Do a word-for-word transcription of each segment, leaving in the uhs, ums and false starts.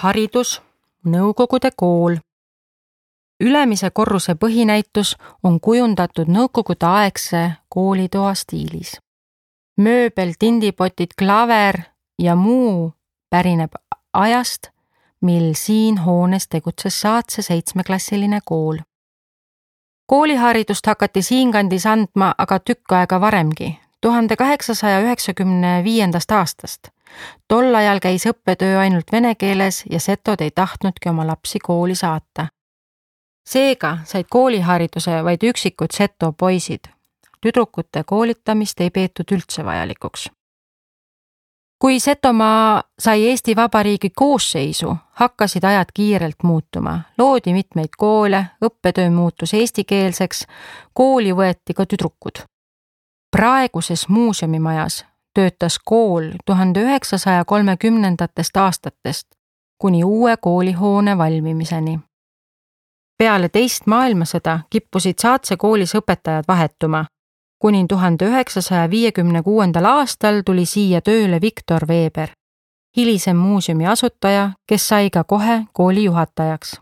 kooliharidus, Nõukogude kool. Ülemise korruse põhinäitus on kujundatud nõukogudeaegse koolitoa stiilis. Mööbel, tindipotid, klaver ja muu pärineb ajast, mil siin hoones tegutses Saatse seitsmeklassiline kool. Kooliharidust hakati siinkandis andma aga tükk aega varemgi, tuhande kaheksasaja üheksakümne viiendast aastast. Tol ajal käis õppetöö ainult vene keeles ja setod ei tahtnudki oma lapsi kooli saata. Seega said koolihariduse vaid üksikud seto poisid. Tüdrukute koolitamist ei peetud üldse vajalikuks. Kui Setomaa sai Eesti Vabariigi koosseisu, hakkasid ajad kiirelt muutuma. Loodi mitmeid koole, õppetöö muutus eestikeelseks, kooli võeti ka tüdrukud. Praeguses muuseumimajas töötas kool tuhande üheksasaja kolmekümnendatest aastatest kuni uue koolihoone valmimiseni. Peale teist maailmasõda kippusid Saatse koolis õpetajad vahetuma. Kuni tuhande üheksasaja viiekümne kuuendal aastal tuli siia tööle Viktor Veber, hilisem muuseumi asutaja, kes sai ka kohe kooli juhatajaks.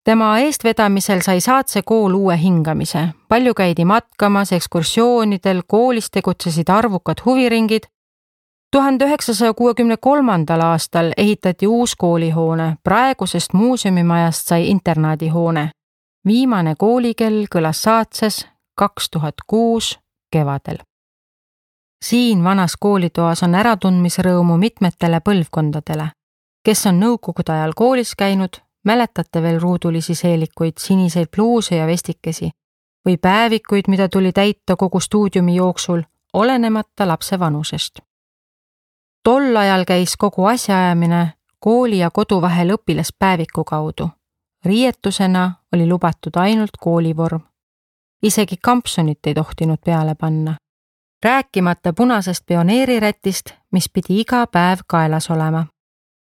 Tema eestvedamisel sai Saatse kool uue hingamise. Palju käidi matkamas, ekskursioonidel, koolis tegutsesid arvukad huviringid. tuhande üheksasaja kuuekümne kolmandal aastal ehitati uus koolihoone, praegusest muuseumimajast sai internaadihoone. Viimane koolikell kõlas Saatses kaks tuhat kuus kevadel. Siin vanas koolitoas on äratundmisrõõmu mitmetele põlvkondadele, kes on nõukogude ajal koolis käinud, mäletate veel ruudulisi seelikuid, siniseid pluuse ja vestikesi või päevikuid, mida tuli täita kogu stuudiumi jooksul, olenemata lapse vanusest. Tol ajal käis kogu asjaajamine kooli ja kodu vahel õpilaspäeviku kaudu. Riietusena oli lubatud ainult koolivorm. Isegi kampsunit ei tohtinud peale panna. Rääkimata punasest pioneerirätist, mis pidi iga päev kaelas olema.